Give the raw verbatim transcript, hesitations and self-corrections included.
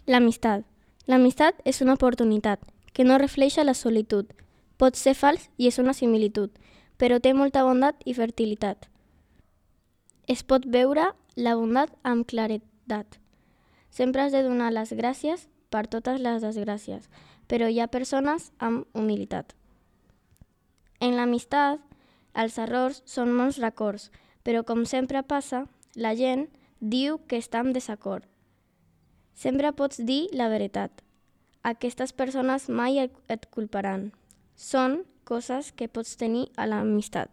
L'amistat. L'amistat és una oportunitat que no reflexa la solitud. Pot ser fals i és una similitud, però té molta bondat i fertilitat. Es pot veure la bondat amb claredat. Sempre has de donar les gràcies per totes les desgràcies, però hi ha persones amb humilitat. En l'amistat, els errors són bons records, però com sempre passa, la gent diu que està en desacord. Sempre pots dir la veritat. Aquestes persones mai et culparan. Són coses que pots tenir a l'amistat.